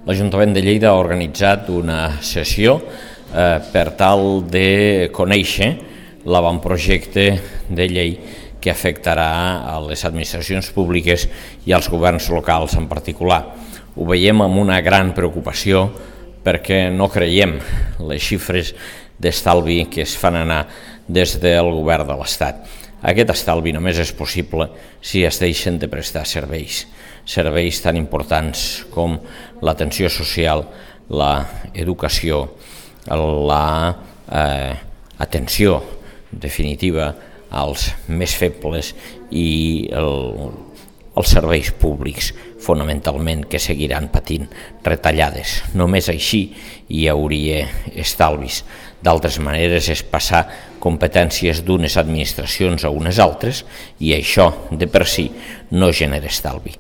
l'Ajuntament de Lleida ha organitzat una sessió per tal de conèixer l'avantprojecte de llei que afectarà a les administracions públiques i als governs locals en particular. Ho veiem amb una gran preocupació perquè no creiem les xifres d'estalvi que es fan anar des del govern de l'Estat. Aquest estalvi només és possible si es deixen de prestar serveis tan importants com l'atenció social, l'educació, l'atenció definitiva als més febles i els serveis públics, fonamentalment, que seguiran patint retallades. Només així hi hauria estalvis. D'altres maneres és passar competències d'unes administracions a unes altres i això de per si no genera estalvi.